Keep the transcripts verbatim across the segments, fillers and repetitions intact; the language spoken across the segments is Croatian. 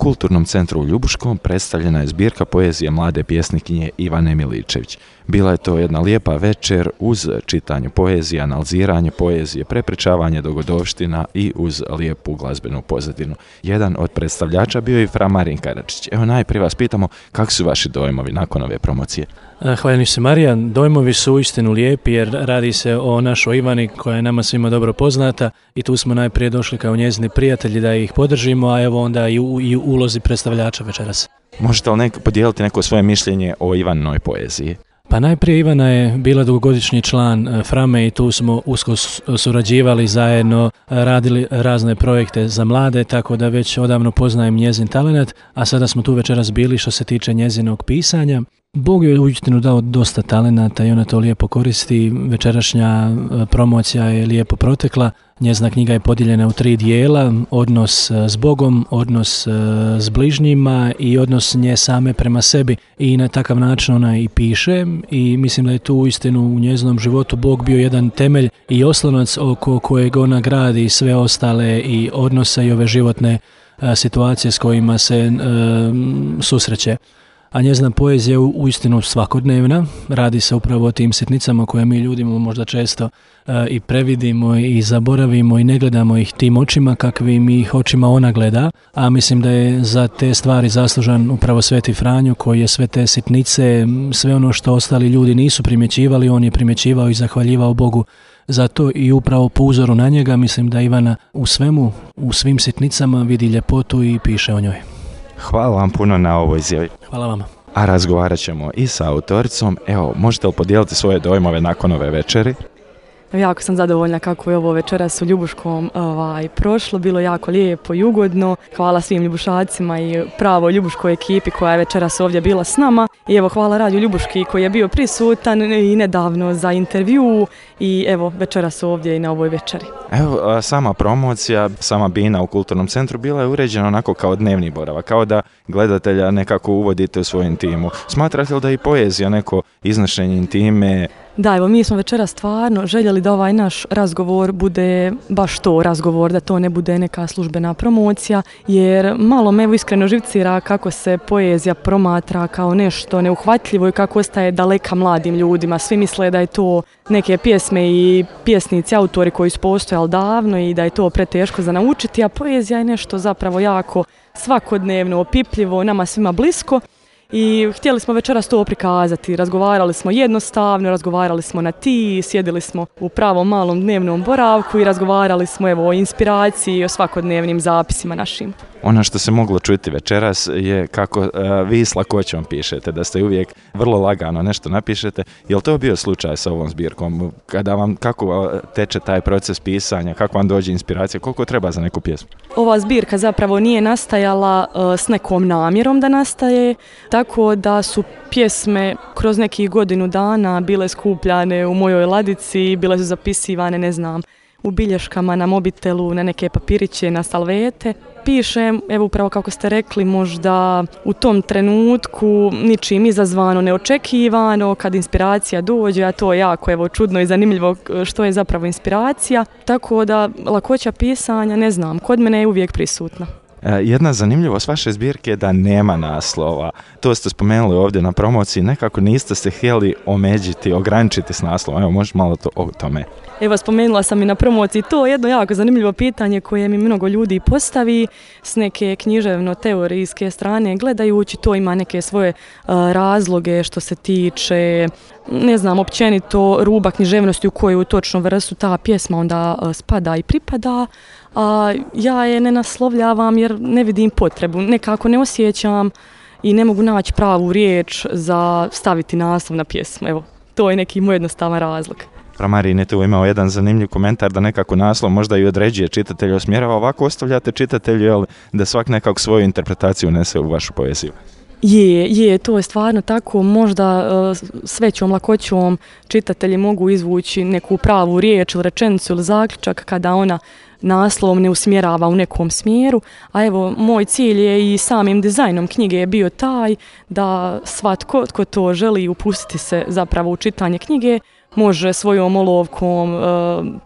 Kulturnom centru u Ljubuškom predstavljena je zbirka poezije mlade pjesnikinje Ivane Miličević. Bila je to jedna lijepa večer uz čitanje poezije, analiziranje poezije, prepričavanje dogodovština i uz lijepu glazbenu pozadinu. Jedan od predstavljača bio je i fra Marin Karadžić. Evo najprije vas pitamo kako su vaši dojmovi nakon ove promocije? Hvala se Marijan, dojmovi su uistinu lijepi jer radi se o našoj Ivani koja je nama svima dobro poznata i tu smo najprije došli kao njezini prijatelji da ih podržimo, a evo onda i u, i u ulozi predstavljača večeras. Možete li neko, podijeliti neko svoje mišljenje o Ivaninoj poeziji? Pa najprije Ivana je bila dugogodišnji član Frame i tu smo usko surađivali zajedno, radili razne projekte za mlade, tako da već odavno poznajem njezin talenat, a sada smo tu večeras bili što se tiče njezinog pisanja. Bog je uistinu dao dosta talenata i ona to lijepo koristi. Večerašnja promocija je lijepo protekla. Njezina knjiga je podijeljena u tri dijela, odnos s Bogom, odnos s bližnjima i odnos nje same prema sebi. I na takav način ona i piše i mislim da je tu uistinu u njezinom životu Bog bio jedan temelj i oslonac oko kojeg ona gradi sve ostale i odnose i ove životne situacije s kojima se uh, susreće. A njezina poezija je uistinu svakodnevna, radi se upravo o tim sitnicama koje mi ljudimo možda često uh, i previdimo i zaboravimo i ne gledamo ih tim očima kakvim ih očima ona gleda, a mislim da je za te stvari zaslužan upravo Sveti Franjo koji je sve te sitnice, sve ono što ostali ljudi nisu primjećivali, on je primjećivao i zahvaljivao Bogu. Zato i upravo po uzoru na njega mislim da Ivana u svemu, u svim sitnicama vidi ljepotu i piše o njoj. Hvala vam puno na ovoj izjavi. Hvala vama. A razgovarat ćemo i sa autoricom. Evo, možete li podijeliti svoje dojmove nakon ove večeri? Jako sam zadovoljna kako je ovo večeras u Ljubuškom ovaj, prošlo, bilo jako lijepo i ugodno. Hvala svim Ljubušacima i pravo Ljubuškoj ekipi koja je večeras ovdje bila s nama. I evo hvala Radio Ljubuški koji je bio prisutan i nedavno za intervju i evo večeras ovdje i na ovoj večeri. Evo, sama promocija, sama bina u Kulturnom centru bila je uređena onako kao dnevni boravak, kao da gledatelja nekako uvodite u svoju intimu. Smatrate li da i poezija neko iznošenje intime? Da, evo mi smo večera stvarno željeli da ovaj naš razgovor bude baš to razgovor, da to ne bude neka službena promocija, jer malo me evo iskreno živcira kako se poezija promatra kao nešto neuhvatljivo i kako ostaje daleka mladim ljudima. Svi misle da je to neke pjesme i pjesnici, autori koji su postojali davno i da je to preteško za naučiti, a poezija je nešto zapravo jako svakodnevno, opipljivo, nama svima blisko. I htjeli smo večeras to prikazati, razgovarali smo jednostavno, razgovarali smo na ti, sjedili smo u pravom malom dnevnom boravku i razgovarali smo evo o inspiraciji i o svakodnevnim zapisima našim. Ono što se moglo čuti večeras je kako uh, vi s lakoćom pišete, da ste uvijek vrlo lagano nešto napišete. Je li to bio slučaj sa ovom zbirkom? Kada vam, kako teče taj proces pisanja, kako vam dođe inspiracija, koliko treba za neku pjesmu? Ova zbirka zapravo nije nastajala uh, s nekom namjerom da nastaje, tako da su pjesme kroz nekih godinu dana bile skupljane u mojoj ladici, bile su zapisivane, ne znam, u bilješkama, na mobitelu, na neke papiriće, na salvete. Pišem, evo upravo kako ste rekli, možda u tom trenutku ničim izazvano, neočekivano, kad inspiracija dođe, a to je jako evo, čudno i zanimljivo što je zapravo inspiracija. Tako da lakoća pisanja, ne znam, kod mene je uvijek prisutna. Jedna zanimljivost vaše zbirke je da nema naslova. To ste spomenuli ovdje na promociji, nekako niste se htjeli omeđiti, ograničiti s naslovom. Evo, možeš malo to, o tome. Evo, spomenula sam i na promociji to jedno jako zanimljivo pitanje koje mi mnogo ljudi postavi s neke književno-teorijske strane. Gledajući to ima neke svoje uh, razloge što se tiče, ne znam, općenito ruba književnosti u koju točno vrstu ta pjesma onda uh, spada i pripada. A ja je ne naslovljavam jer ne vidim potrebu, nekako ne osjećam i ne mogu naći pravu riječ za staviti naslov na pjesmu. Evo, to je neki moj jednostavan razlog. Marin je tu imao jedan zanimljiv komentar da nekako naslov možda i određuje čitatelju, osmjerava, ovako ostavljate čitatelju jel, da svak nekako svoju interpretaciju unese u vašu poeziju. Je, je, to je stvarno tako, možda uh, s većom lakoćom čitatelji mogu izvući neku pravu riječ ili rečenicu ili zaključak kada ona naslov ne usmjerava u nekom smjeru, a evo moj cilj je i samim dizajnom knjige je bio taj da svatko tko to želi upustiti se zapravo u čitanje knjige može svojom olovkom e,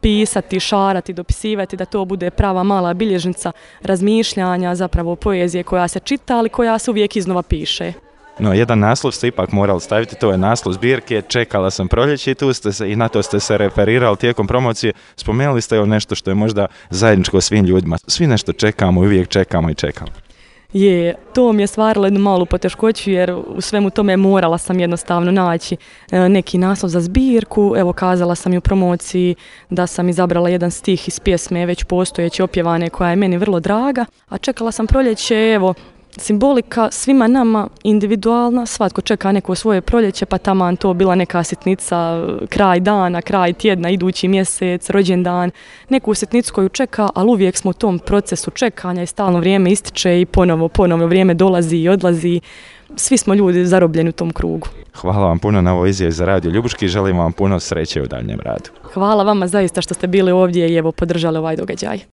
pisati, šarati, dopisivati, da to bude prava mala bilježnica razmišljanja, zapravo poezije koja se čita, ali koja se uvijek iznova piše. No, jedan naslov ste ipak morali staviti, to je naslov zbirke Čekala sam proljeće i tu ste se, i na to ste se referirali tijekom promocije. Spomenuli ste o nešto što je možda zajedničko svim ljudima. Svi nešto čekamo i uvijek čekamo i čekamo. Je, to mi je stvarilo jednu malu poteškoću jer u svemu tome morala sam jednostavno naći neki naslov za zbirku. Evo, kazala sam i u promociji da sam izabrala jedan stih iz pjesme već postojeće opjevane koja je meni vrlo draga, a Čekala sam proljeće, evo, simbolika svima nama individualna, svatko čeka neko svoje proljeće, pa taman to bila neka sitnica, kraj dana, kraj tjedna, idući mjesec, rođendan, neku sitnicu koju čeka, ali uvijek smo u tom procesu čekanja i stalno vrijeme ističe i ponovo, ponovo vrijeme dolazi i odlazi. Svi smo ljudi zarobljeni u tom krugu. Hvala vam puno na ovoj izjavi za Radio Ljubuški i želim vam puno sreće u daljnjem radu. Hvala vama zaista što ste bili ovdje i evo podržali ovaj događaj.